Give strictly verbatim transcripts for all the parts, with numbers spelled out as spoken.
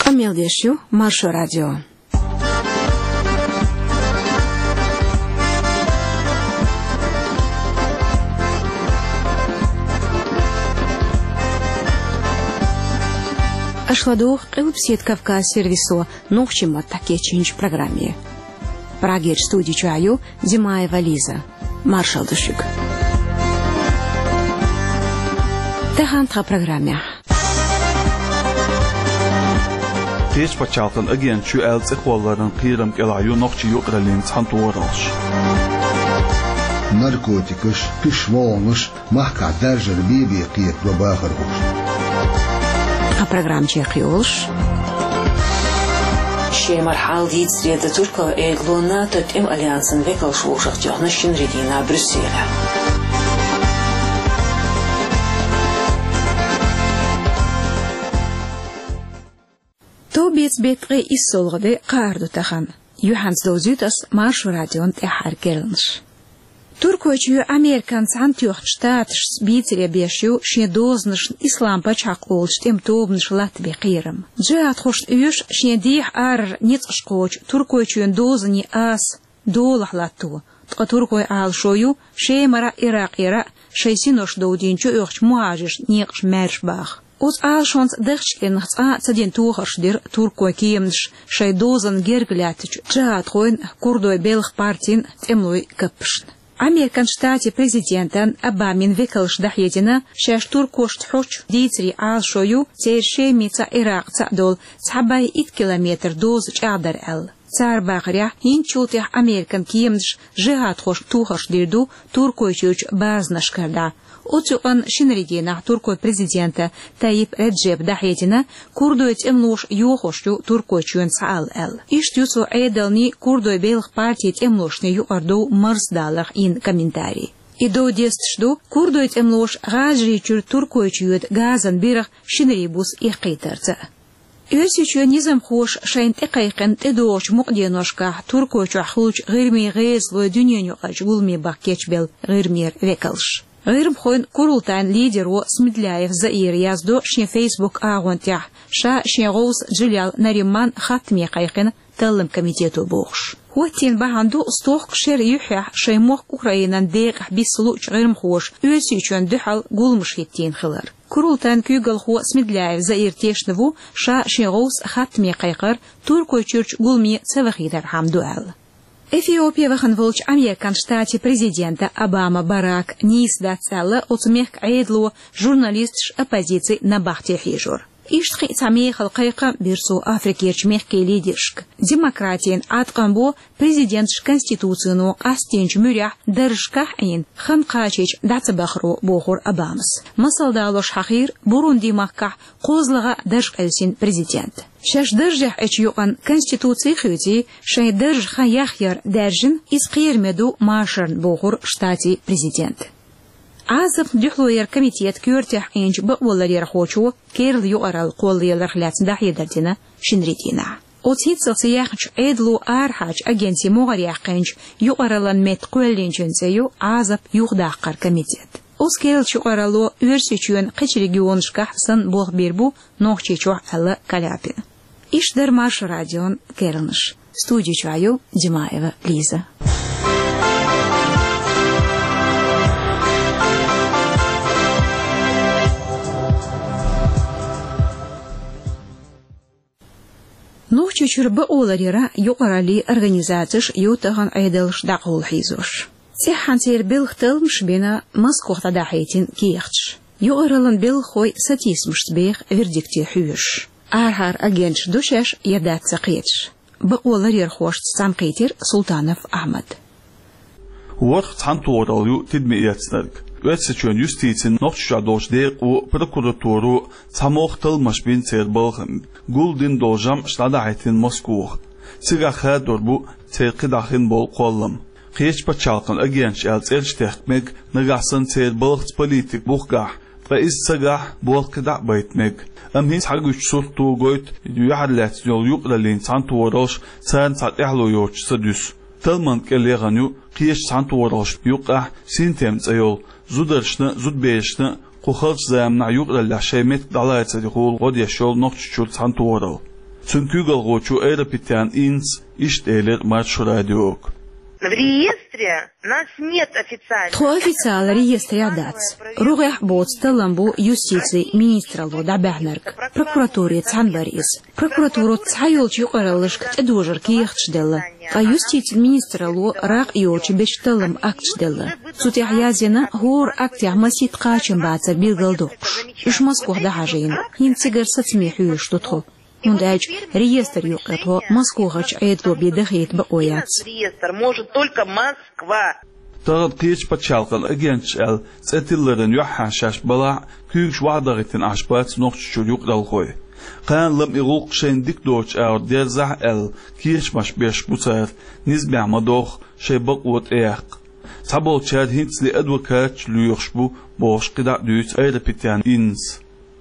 Къамел деш ю Маршо радио. Аша ладугӀу Къилбаседа Кавказ сервисо нохчийн маттахь кечйинчу программе. Прагерчу студи чохь ю Димаева Лиза. Маршалла ду шуьга. Тахана тхан программехь. Кхечу пачхьалкхан агенташ ю аьлла цӀе кхолларан кхерам кӀелахь ю нохчийн юкъараллин цхьаьнатохараллаш. Наркотикаш, кхиш вогӀанаш, махкахь даржар бен-бен кхетадо бахархоша. Тхан программа чекхйолуш. Шемара хьал дийцаре дан Туркойн Ӏедало НАТО тӀеман альянсан векалш вовшахтоьхна шинарин дийнахь Брюсселехь. Товбеца беттан ткъе иссалгӀа де кхаарду тахана. Юьхьанца довзуьйту ас Маршо радион тӀаьххьара керланаш. Туркойчоь Американ Цхьаьнатоьхначу Штаташца бийцаре беш ю шен дозанашна Ислам пачхьалкх олучу тӀеман тобанаша латтабен кхерам. Джихадхошна оьшу шен дехьа арара ницкъаш кхочу Туркойчоьнан дозанийн аса долахь латто, ткъа туркойн Ӏалашо ю Шемара а, Иракъера а шайн синош довдийна чуоьхучу мухӀажаршна некъаш маьрша баха. Оцу Ӏалашонца дахча кӀирнах цкъа а ца дина тохарш дира туркойн кеманаша шайн дозанна герга лаьттачу джихадхойн, курдойн белхан партин, тӀемалойн каппашна. Американ Штатийн президентан Обамин векалша дӀахьедина, шаьш туркошна хьочу дийцарийн Ӏалашо ю церан Шемица а, Иракъца а долу цхьа бӀе итт километр доза чӀагӀдар аьлла. Цара бахарехь, хӀинцачул тӀаьхьа Американ кеманаша джихадхошна тохарш дийр ду Туркойчуьрчу базанашкара дӀа. Оцу юкъанна шинарин дийнахь туркойн президента Тайип Реджепа дӀахьедина, курдойн тӀемалоша йохош ю Туркойчоьнца схьаала аьлла. Иштта ю цо Ӏедалний, курдойн белхан партийн тӀемалошний юкъара дов марздаларх йина комментарий. И дов десташ ду, курдойн тӀемалоша ГӀажарийчуьра Туркойчу йоьду газан биргӀа шинарин буса эккхийтарца. Оьрсийчоьнан низамхоша шайна тӀекхайкхина тӀедогӀучу мукъаденошкахь Туркойчохь хуьлучу ГӀирмийн гӀезалойн дуьненаюкъарчу гуламан бахка кечбелла ГӀирмера векалш. ГӀирмахойн курултайн лидеро Смедляев Заира яздо шен Facebook агӀон тӀехь, ша шен гӀовс Джилял Нариман хаттаме кхайкхина талламан комитето бохуш. ХӀоттийна бахьана ду стохка шеран юьххьехь шайн мохк Украинан декъахь биса луучу гӀирмахоша Оьрсийчоьнна дуьхьал гуламаш хӀиттийна хилар. Курултайн куьйгалхо Смедляев Заира тешна ву, ша шен гӀовс хаттаме кхайкхар Туркойчуьрчу гуламе ца вахийтархьама ду аьлла. Эфиопе вахана волчу Американ Штатийн президента Обама Барака нийса дац аьлла оцу мехкан Ӏедало, журналисташ, оппозици набахте хьежор. Иштта кхин а цхьа мехала кхайкхам бира цо Африкерчу мехкийн лидершка. Демократийн Ӏаткъам бо президенташа конституцино къастийначу муьрехь даржашкахь а Ӏийна, хан кхачийча дӀа ца бахаро, бохура Обамас. Масал далош хьахийра Бурунди-махкахь кхозлагӀа дарж къевсина президент. Шаьш даржехь Ӏечу юкъанна конституци хуьйций, шайн даржан хан яхъяр даьржина, иза кхераме ду машарна, бохура штатийн президента. Ӏазапна дуьхьало яран комитетан коьртехь Ӏийначу бакъоларъярхочо керла юкъаралла кхоллаяларх лаьцна дӀахьедар дина шинарин дийнахь. Оцу хӀинццалц яьхначу Ӏедало арахьарчу агентийн могӀарехь кхаьчначу юкъараллин метта кхоьллинчун цӀе ю Ӏазап юхадаккхаран комитет. Оцу керлачу юкъаралло Оьрсийчоьнан кхечу регионашкахь санна болх бийр бу Нохчийчохь аьлла Каляпина. Иштта дара Маршо радион керланаш. Студи чохь ю Димаева Лиза. Нохчийчуьра бакъоларъяран юкъараллин организацеш ю тахана Ӏедалш дӀакъовла хьийзош. ЦӀеххьана церан белхан талламаш бина Москох дӀадахьийтина кехаташ. Юкъараллин белхахой сатийсамашца беха вердикте хьоьжуш. Арахьара агенташ ду шаьш я дац ца кхеташ. Бакъоларъярхошца цхьаьнакхийтира Султанов Ахьмад. ВорхӀ цхьаьнатохаралла ю тидаме эцнарг. Оьрсийчоьнан юстицин, Нохчийчохь долчу декъо, прокуратуро цхьа могӀа талламаш бина церан балхана. Гулдина долу жамӀаш дӀадахьийтина Москох. Цигахь хадор бу церан кхидӀа хин болу кхоллам. Кхечу пачхьалкхан агенташ аьлла цӀераш техка мега, нагахь санна церан балхаца политика бухахь, ткъа иза ца гахь, болх кхидӀа а байта мега. Амма хӀинца хьагуьйцучу сурто гойту юьхьарлаьцна йолу юкъараллин цхьаьнатохараллаш царна цхьа тӀаьхьало йоцуш ца дуьсу. Талламан кӀел яхана ю кхечу цхьаьнатохараллашна юккъехь Синтем цӀе йолу, зударшна а, зудаберашна а кху халачу заманахь юкъараллехь шайн меттиг дӀалацарехула гӀо деш йолу Нохчийчуьра цхьаьнатохаралла. Цуьнан куьйгалхочо Айрапетян Иннас иштта элира Маршо радиога. В реестре нас нет официально. Тхо официалан реестрехь дац. РогӀехь боцу таллам бу юстицин министралло дӀабаьхьнарг. Прокуратуре цхьаьна бара иза. Прокуратуро цхьайолчу юкъараллашка тӀедожаран кехаташ делла. Ткъа юстицин министралло ракъ йоцуш бечу талламан акташ делла. Цу тӀехь язйина, хӀора актехь масийтта кхачам бацар билгалдоккхуш. Уьш Москвахь дӀахьажийна. ХӀинца цигара сацаме хьоьжуш ду тхо. ХӀунда аьлча реестран юккъе тхо Москвахарчу Ӏедало бен дахийта бакъо яц. Реестр может только Москва. Тахана кхечу пачхьалкхан агенташ аьлла цӀе тилларан юьххьехь шаьш балахь а, куьйгаш охьадахийтина Ӏаш бац Нохчийчуьра юкъаралхой. Кхана-лама и гӀуллакх шайна дика доцучу агӀор дерзахь а аьлла, кечамаш беш бу цара, низамехь ма-дохху, шайн бакъо тӀеяккха. Цхьаболчара хӀинцале адвокаташ лоьхуш бу, бохуш кхидӀа а дуьйцу Айрапетян Иннас.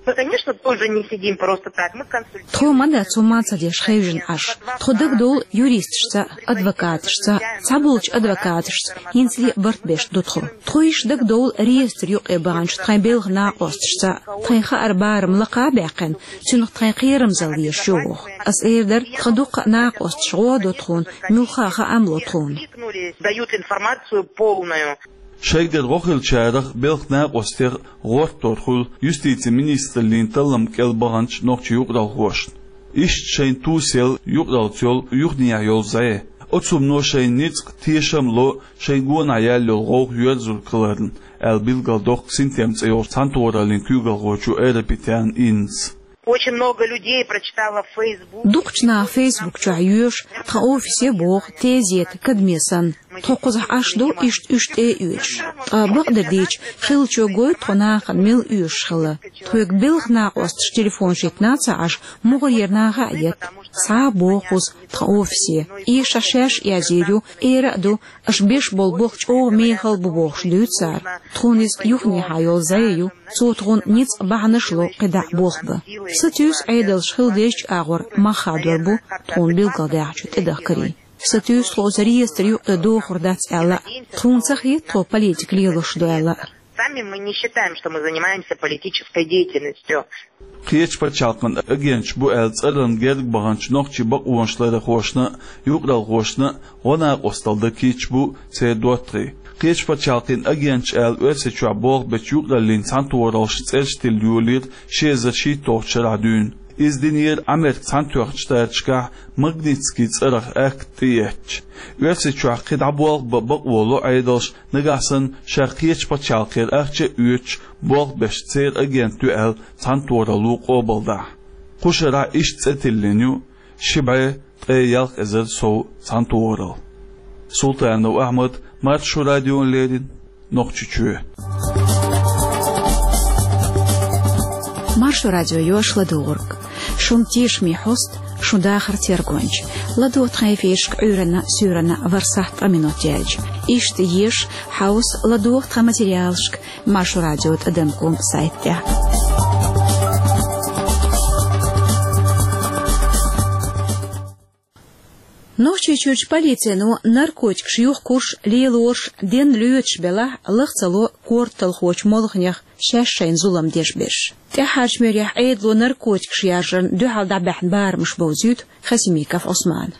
Мы, конечно, тоже не сидим просто так, мы консультируемся. Тхо ма дац хӀумма ца деш хевшина Ӏаш. Тхо дагадовлу юристашца а, адвокаташца а, цхьаболчу адвокаташца хӀинцале а барт беш ду тхо. Тхо иштта дагадовлу реестран юккъе баханчу тхайн белхан накъосташца а. Тхайн хааран барам лакха а баьккхина, цуьнах тхайн кхерамзалла езаш ю боху. Ас эр дара, тхан дуккха а накъосташа гӀо а до тхуна, муьлхха а хаам ло тхуна. Дают информацию полную. Шайгара гӀо хиллачарах, белхан накъостех гӀортор хуьлу юстицин министраллин таллам кӀел баханчу нохчийн юкъаралхошна. Иштта шайна тусаелла юкъараллица йолу юханехьа йолу зӀе. Оцу хӀумано шайна ницкъ, тешам а ло шайн гонахь яьлла йолу гӀовгӀа йоьрзург хиларна, аьлла билгалдоккху Синтем цӀе йолчу цхьаьнатохараллин куьйгалхочо Айрапетян Иннас. Очень много людей прочитало в Facebook. Дукхачу наха Facebook чохь йоьшу тхан офисе боху, тезета, кадаме санна. Тхо кхузахь Ӏаш ду иштта уьш тӀе а оьцуш. Ткъа бакъдерг дийцича, хиллачо гойту тхо нахана мила оьшуш хилла. Тхоьга белхан накъосташа телефонаш йитина а ца Ӏаш, мухӀарера наха а етта. Схьа а боху кхуза тхан офисе. Эшахь шаьш а язйийр ю, эр а ду, аша беш болу болх чӀогӀа мехала бу бохуш дуьйцу цара. Тхуна иза юханехьа йолу зӀе ю, цо тхуна ницкъ, бахьанаш а ло кхидӀа а болх бан. Сатуьйсу, Ӏедалша хила дезачу агӀор мах хадор бу тхуна билгалдаьхначу тӀедахкарийн. Сатуьйсу, тхо оцу реестран юккъе дохур дац аьлла а, тхуна ца хета тхо политика лелош ду аьлла а. Сами мы не считаем, что мы занимаемся политической деятельностью. Кхечу пачхьалкхан агенташ бу аьлла цӀарна герга баханчу нохчийн бакъонаш ларъярхошна а, юкъаралхошна а гӀо-накъосталла дан кийча бу церан доттагӀий. Кхечу пачхьалкхан агенташ аьлла Оьрсийчохь болх бечу юкъараллин цхьаьнатохараллашна цӀераш тилла йолийра ши эзар шийтталгӀачу шарахь дуьйна. Иза динера Ӏамеркан Цхьаьнатоьхначу Штаташкахь Магнитский цӀарах акт тӀеэцча. Оьрсийчохь кхидӀа болх бан бакъо ло Ӏедалша, нагахь санна шаьш кхечу пачхьалкхера ахча а оьцуш болх беш церан агент ю аьлла цхьаьнатохаралло къобалдахь. Кху шарахь иштта цӀе тиллина ю ши бӀе ткъе ялх эзар сов цхьаьнатохаралла. Султанов Ахьмад, Маршо радиона леррина, Нохчийчоь. Маршо радио йош ладугӀург. Шун тешаме хьоста, шун дахар тергонча. ЛадогӀа тхан эфирашка Ӏуьйранна, суьйранна ворхӀ сахьт ткъа минот яьлча. Иштта еша, хьовса, ладогӀа тхан материалашка Маршо радио тӀадам ком сайта тӀехь. Нохчийчуьрчу полицино наркотикаш юхкуш, лелош, денна лоьцуш белахь, лаха ца ло корталхочу молханех шаьш шайна зулам деш берш. ТӀаьххьарчу муьрехь Ӏедало наркотикаш яржарна дуьхьал дӀабаьхьна барамаш бовзуьйту Хасимиков Ӏусмана.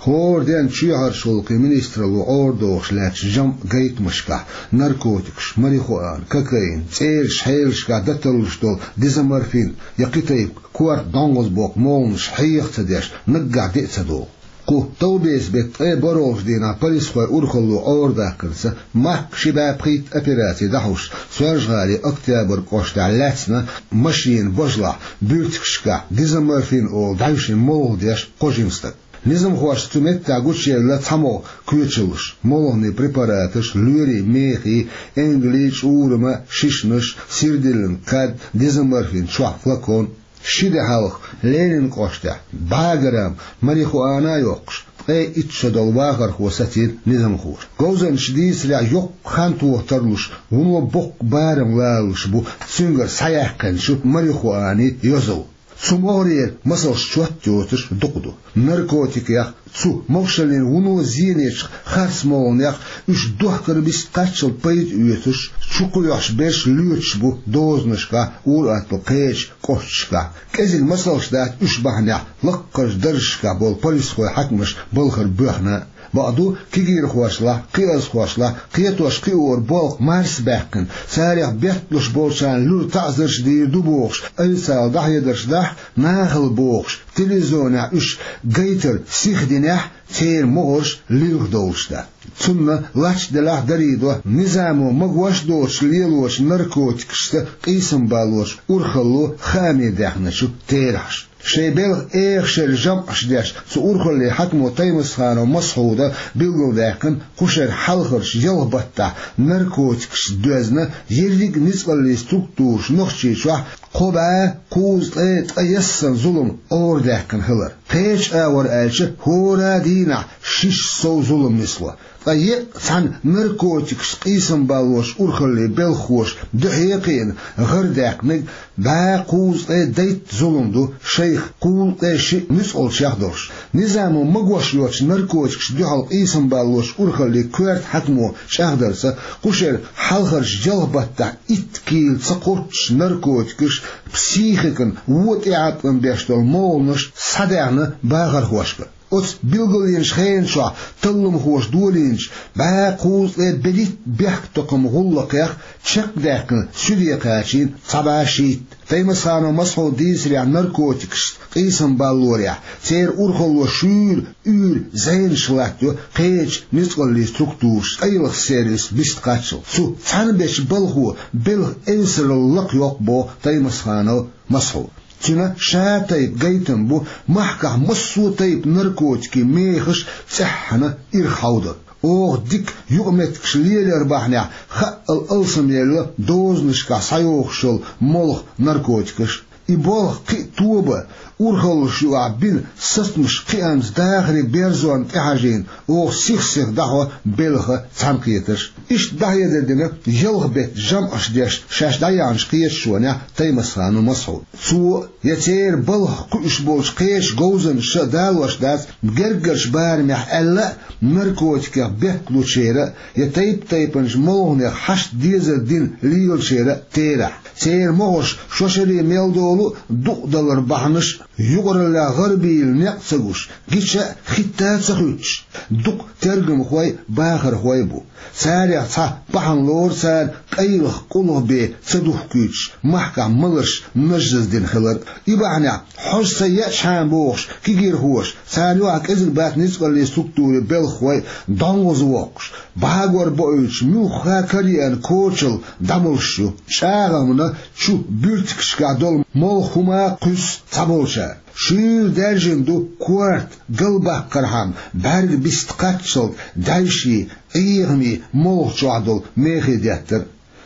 ХӀора денна чоьхьарчу гӀуллакхийн министралло Ӏорадохуш лаьттачу жамӀ гайтамашкахь наркотикаш, марихуана, кокаин, цӀерачу хьелашкахь дӀаталлуш долу дезоморфин я кхин тайпа корта дӀонгӀазбоккху молханаш хьеха ца деш, наггахь де а ца догӀу. Кху товбеца беттан ткъе бархӀолгӀачу дийнахь полисхойн урхалло Ӏорадахкарца, махка ши бӀе пхийтта операци дӀахьош, Соьлжа-ГӀалин Октябрь кӀоштахь лаьцна машенан бажалахь буьртигашкахь дезоморфин олу дӀаьвшина молха деш кхо жима стаг. Низамхошца цу меттехь гучуевлла цхьамогӀа кхечаллаш: молханийн препараташ, лоьрийн мехий, энгелий, чӀурама шишанаш, сирдиллина кад, дезоморфин чохь флакон. Ши де хьалха Ленинан кӀоштехь бӀе грамм марихуана а йоккхуш, ткъе итт шо долу вахархо сацийра низамхоша. Говзанчаша дийцарехь, йоккха хан тоха тарлуш, вуно боккха барам лалалуш бу цуьнгара схьаяьккхинчу марихуанин йозал. Цу могӀарера масалш чот йоцуш дукха ду. Наркотикех, цу могашаллин вуно зенечех, харц молханех, уьш дохкар бист кхаччалц пайда оьцуш, чу кхоьхьуш берш лоьцуш бу дозанашкахь, ур-аттал кхечу кӀошташкахь. КӀезиг масалш дац уьш бахьанехь лаккхарчу даржашкахь болу полисхой, хьаькамаш балхара боьхна. Бакъду, кегийрхошлахь, кхиазхошлахь кхетош-кхиоран болх марсабаьккхина, царах бетталуш болчарна луьра таӀзарш дийр ду бохуш, айса дӀахьедарш дахь, нахала бохуш, телевизионехь уьш гайтар сихдинехь, церан могӀарш лилха довлуш дац. Цунна лач делахь дарийдо, низамо магош а доцуш лелочу наркотикашца къийсам баллочу урхалло хааме даьхначу терахьаш. Шайн белхан эха шеран жамӀаш деш, цу урхаллин хьаькамо Таймасханов Масхьуда билгалдаьккхина, кху шеран хьалхарчу ялх баттахь наркотикашца доьзна ерриг а ницкъаллийн структураш Нохчийчохь кхо бӀе кхузткъе ткъаесна зулам Ӏорадаьккхина хилар. Кхечу агӀор аьлча, хӀора дийнахь шишша сов зулам нисло. Ткъа еккъа цхьана наркотикашца къийсам баллочу урхаллин белхахоша дуьхье а кхиъна, гӀардаьккхинарг бӀе кхузткъе дейтта зулам ду, шайх кхузткъе шиъ нуьцкъалчех долуш. Низамо магош йоцучу наркотикашна дуьхьал къийсам баллочу урхаллин коьрта хьаькамо чӀагӀдарца, кху шеран хьалхарчу ялх баттахь итт кийла ца кхоччуш наркотикаш психикан вон тӀеӀаткъам беш долу молханаш схьадаьхна бахархошка. Оцу билгалйинчу хенан чохь талламхоша долийначу бӀе кхузткъе берхӀитта бехктакхаман гӀуллакхех чекхдаьккхина, суьде кхачийна цхьа бӀе шийтта. Таймасханов Масхьудан дийцарехь, наркотикашца къийсам баллорехь, церан урхалло шуьйра уьйр зенаш латтайо кхечу ницкъаллийн структурашца, къайлаха сервис бист кхаччалц. Цу цхьаьна бечу балхо белхан эвсаралла лакхайоккху боху Таймасханов Масхьуда. Цуьнан ша тайпа гайтам бу махкахь массо а тайпа наркотикийн мехаш цӀеххьана ирахьовдар. Оха дика юкъаметтигаш лелор бахьанехь, хаъал алсамъелла дозанашкахь схьайохуш йолу молха, наркотикаш. И болх кхин а тоба, урхаллаш юкъахь бина сацамаш кхиамца дахаре берзонна тӀехьажийна, оха сих-сиха дӀахьо белхан цхьаьнакхетарш. Иштта дӀахьедар дина ялх беттан жамӀаш деш шаьш дӀаяьхьначу кхеташонехь Таймасханов Масхьуда. Цо я церан балхах кхуьуш болчу кхечу говзанчаша а далош дац, гергарчу барамехь аьлла а, наркотикех бетталучеран а, я тайп-тайпанчу молханех хьашт дезар дина лелачеран а терахь. Церан могӀарш шо шаре мел долу а дукъадалар бахьанаш а, юкъараллехь гӀарабийла некъ ца гуш, гича а, хӀитта а ца хуьттуш, дукха тергамхой а, бахархой а бу. Царех цхьа бахьана лору цара къайлаха къулгӀа бен ца духкуьйтуш, махкахь маларш нажжаздина хилар. И бахьанехь, хьожа ца еачхьана бохуш, кегийрхоша, царна юкъахь кӀезиг бац ницкъаллийн структурийн белхахой а дӀонгӀаза воккхуш, бӀагор боуьйтуш, муьлхха а караеана кочалла дӀамолуш ю. ЧӀагӀамна чу буьртигашкахь долу молха хӀума а кхуьссу цхьаболчара. Шуьйра даьржина ду корта галбаккхархьама бӀаьрга бист кхаччалц даьржий, Ӏехамий молха чохь долу мехе деттар.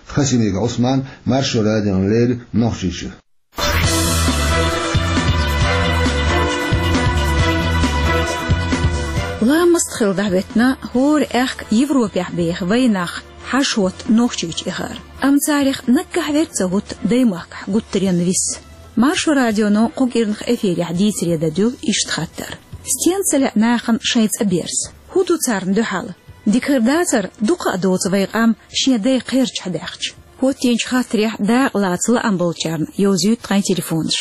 Хасимиков Ӏусман, Маршо радиона леррина, Нохчийчуьра. Ламаст хилла дӀахӀоьттина хӀора аьхка Европехь беха вайнах хьажа-хӀотта Нохчийчу эхар. Амма царах наггахь верг ца хӀутту даймахкахь гуттаренна виса. Маршо радионо кху кӀирнах эфирехь дийцаре дан дуьллу иштта хаттар: стенна ца лаьа нахана шайн цӀа берза? ХӀун ду царна дуьхьал? Дика хир дацара, дукха а доцу вай къам шен дай кхерчахь даьхча. ХӀоттийначу хаттарехь дакъа лаца лаам болчарна йовзуьйту тхайн телефонаш.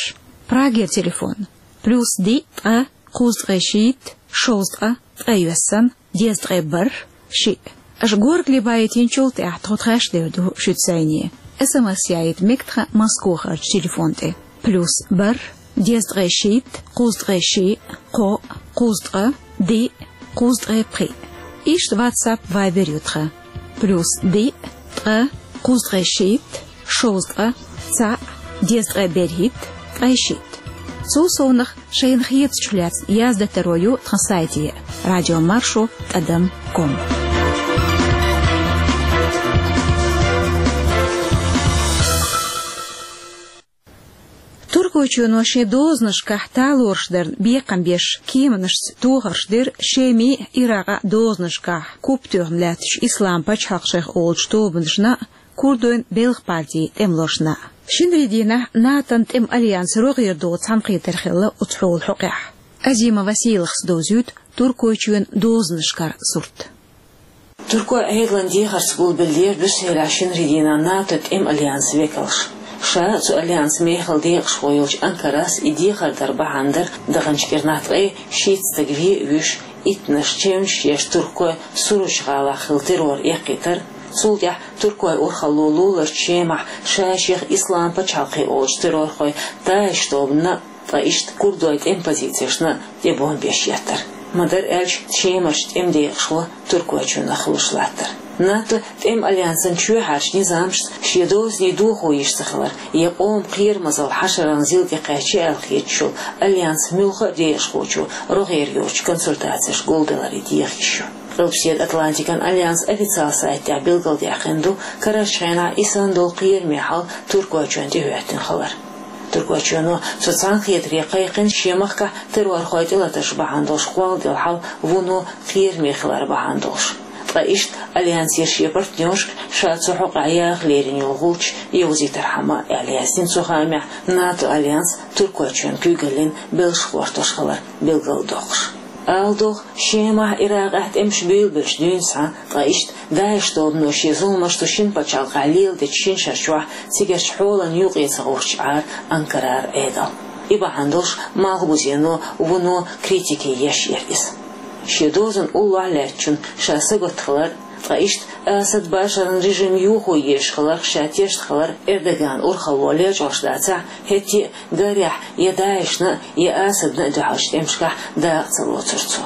Прагера телефон: плюс диъ, ткъа, кхузткъе шийтта, шовзткъа, ткъе йоьссан, дезткъе бархӀ, шиъ. Аша горгали байтинчул тӀаьхьа тхо тхаьш дер ду шуьца зӀене. СМС яийта мега тхан Москохарчу телефон тӀе: плюс бархӀ, дезткъе шийтта, кхузткъе шиъ, кхоъ, кхузткъа, диъ, кхузткъе пхиъ. Иштта WhatsApp, Viber ю тхан: плюс диъ, ткъа, кхузткъе шийтта, шовзткъа, цхьаъ, дезткъе берхӀитта, ткъе шийтта. Цул совнах шайна хетачух лаьцна яздан таро ю тхан сайте: радиомаршо тӀадам ком. Туркойчоьно шен дозанашкахь талораш дарна бекхам беш кеманашца тохарш дира Шеман а, Иракъан а дозанашкахь куп тоьхна лаьттачу Ислам пачхьалкх шайх олучу тобанашна а, курдойн белхан партин тӀемалошна а. Шинарин дийнахь НАТО-н тӀеман альянс рогӀера догӀу цхьаьнакхетар хилла оцу хьолан хьокъехь. Азима Василахас довзуьйту Туркойчоьнан дозанашкара сурт. Туркойн Ӏедалан дехарца гулбеллера Брюсселехь шинарин дийнахь НАТО тӀеман альянсан векалш. Ша цу альянсан мехала декъашхо йолчу Анкарас и дехар дар бахьана дара даханчу кӀирнахь ткъе шийтта стаг вен а вуьйш, иттанаш чевнаш еш туркойн Суручу гӀалахь хилла террор эккхийтар, цул тӀаьхьа туркойн урхалло луларчу Шемахь ша-шех Ислам пачхьалкх олучу террорхойн ДАИШ тобанна, ткъа иштта курдойн тӀеман позицешна тӀе бомбеш еттар. Ма-дарра аьлча, Шемарчу тӀеман декъашхо Туркойчоьнах хуьлуш латтар. НАТО тӀеман альянсан чоьхьарчу низамашца шен дозанийн дохо йиш ца хилар, я къоман кхерамазалла хьашараллин зил тӀекхаьчча аьлла хеташ йолу альянсан муьлхха а декъашхочо рогӀера йоцучу консультацешка гулбелларий деха йиш ю. Къилбаседа Атлантикан альянсан официалан сайта тӀехь билгалдаьккхина ду карарчу хенахь и санна долу кхераме хьал Туркойчоьнна тӀехӀоьттина хилар. Туркойчоьно цу цхьаьнакхетаре кхайкхина шен махкахь террорхойн тӀелатарш бахьана долуш кхолладелла хьал вуно кхераме хилар бахьана долуш. Ткъа иштта альянсера шен партнершка ша цу хьокъехь яха лерина йолу гӀулч йовзийтархьама, аьлла яздина цу хаамехь, НАТО альянс Туркойчоьнан куьйгаллин белшаш гӀортош хилар билгалдоккхуш. Ала догӀу, Шемахь, Иракъехь тӀемаш буьйлабелча дуьйна схьа, ткъа иштта ДАИШ тобано шен зуламаш цу шина пачхьалкхехь леладечу шина шар чохь цигарчу хьолан юкъе ца гӀовттуш Ӏара Анкарара Ӏедал. И бахьана долуш Малхбузено вуно критике еш яра иза. Шен дозанна уллохь лаьттачунна ша сагатта хилар, ткъа иштта Асад Башаран режим юхо езаш хиларх ша тешна хилар Эрдоганан урхалло лечкъош дацахь, хӀетте а гарехь я ДАИШна, я Асадна а дуьхьалчу тӀемашкахь дакъа ца лоцура цо.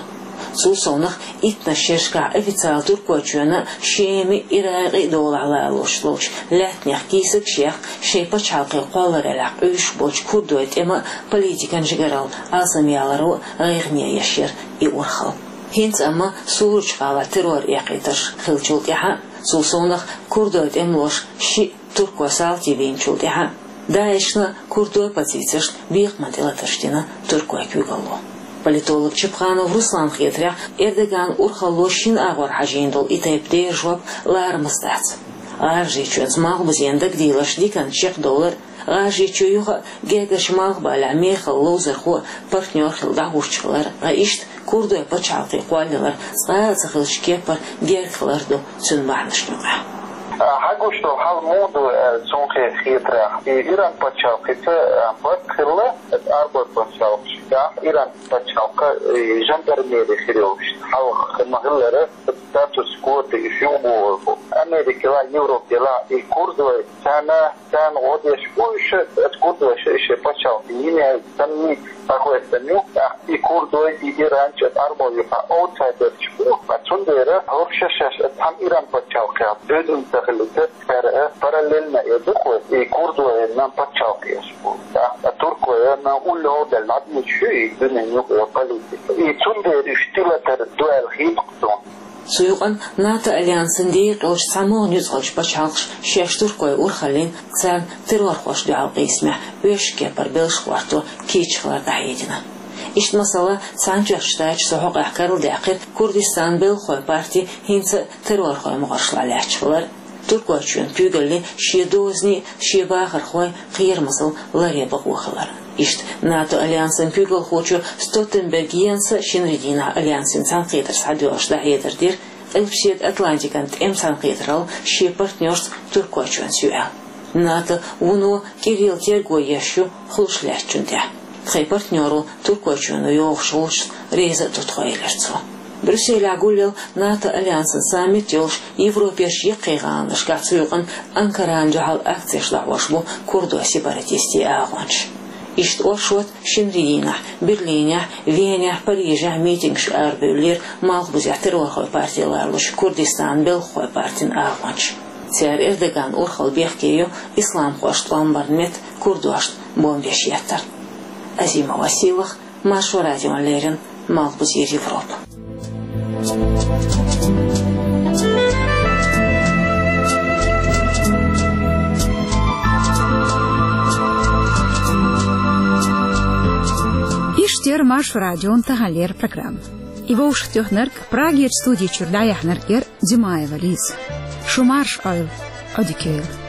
Цул совнаха, иттанаш шерашкахь официалан Туркойчоьнан Шеман, Иракъан долахь лалош ловчу лаьттанех кийсагаш яккха, шайн пачхьалкхе кхоллараллехь къуьйсуш болчу курдойн тӀеман а, политикан жигаралла алсамъяларо а гӀайгӀане еш яра и урхалла. ХӀинца амма Суручу гӀалахь террор эккхийтарш хиллачул тӀаьхьа, цул совнаха, курдойн тӀемалоша шиъ туркойн салти бийначул тӀаьхьа, ДАИШна курдойн позицешна бекхаман тӀелатарш дина туркойн куьйгалло. Политолог Чапханов Русланан хетарехь, Эрдоганан урхалло шина агӀор хьажийна долу и тайпа дера жоп ларамаза дац. ГӀажарийчоьнца Малхбузен дагадийларш диканна чекхдовлар, ГӀажарийчоь юха а гергарчу Малхбалехь мехала ловзархо а, партнер хилла дӀахӀуттуш хилар, ткъа иштта курдойн пачхьалкхе кхоллаялар цкъа а ца хиллачу кепара герга хилар ду цуьнан бахьанашна юкъахь. Хьагуш долу хьал муха ду аьлла, цунна хетарехь, и Иран пачхьалкхица, а, барт хилла, Ӏарбойн пачхьалкхашкахь Иран пачхьалкх, и жандармери хир йолуш, хьалха ма-хиллара, статус-кво тӀе уьш юхабохур бу. Америкалахь, Европалахь и курдой, царна, царна гӀо деш бу уьш, оцу курдоша шайн пачхьалкх йина яьлла санна, дӀахоьттина ю, тӀаккха и курдой, и иранча, Ӏарбой юкъахь аутсайдерш бу, ткъа цундела хӀорш шаьш цхьана Иран пачхьалкхехь доьзна ца хилийта, цара параллельно эр ду-кх вай, и курдойн пачхьалкх еш бу. ТӀаккха туркойн уллохь а даьлла дӀадуьйцуш ю и дуьненан юкъара политика. И цундела уьш тӀелатар ду аьлла хета-кх суна. Цу юкъана НАТО альянсан декъалчу цхьамогӀа нуьцкъалчу пачхьалкхаша шаьш туркойн урхаллин, царна террорхошна дуьхьал къийсамехь оьшшучу кепара белшаш гӀорто кийча хилар дӀахьедина. Иштта, масала, Цхьаьнатоьхначу Штаташа цу хьокъехь карладаьккхира Курдистанан белхахойн парти хӀинца а террорхойн могӀаршлахь лаьтташ хилар, Туркойчоьнан куьйгаллин шен дозанийн, шен бахархойн кхерамазалла ларъян бакъо хилар. Иштта, НАТО альянсан куьйгалхочо Столтенберг Йенса шинарин дийнахь альянсан цхьаьнакхетар схьадоьллуш дӀахьедар дира, Къилбаседа Атлантикан тӀеман цхьаьнакхетаралла шен партнерца Туркойчоьнца ю аьлла. НАТО вуно кӀирилла терго еш ю хулаш лаьттачунна тӀехь. Тхайн партнеро Туркойчоьно йохучу гӀулчашна реза а ду тхо, элира цо. Брюсселехь гулъелла НАТО альянсан саммит йолуш Европерчу яккхий гӀаланашкахь, цу юкъана Анкарана дуьхьал акцеш дӀахьош бу курдойн сепаратистийн агӀончаш. Иштта оршот шинарин дийнахь Берлинехь, Венехь, Парижехь митингаш арабевллера Малхбузехь террорхойн парти лоруш Курдистанан белхахойн партин агӀончаш. Цара Эрдоганан урхалла бехке йо исламхошна тӀом барна меттан курдошна бомбеш еттар. Азима Василах, Маршо радиона леррина, Малхбузера Европа. Иштта яра Маршо радион таханлера программа. И вовшахтоьхнарг, Прагерчу студи чуьра дӀаяьхьнарг яра Димаева Лиза. Шу марша Ӏойла, Ӏодика йойла.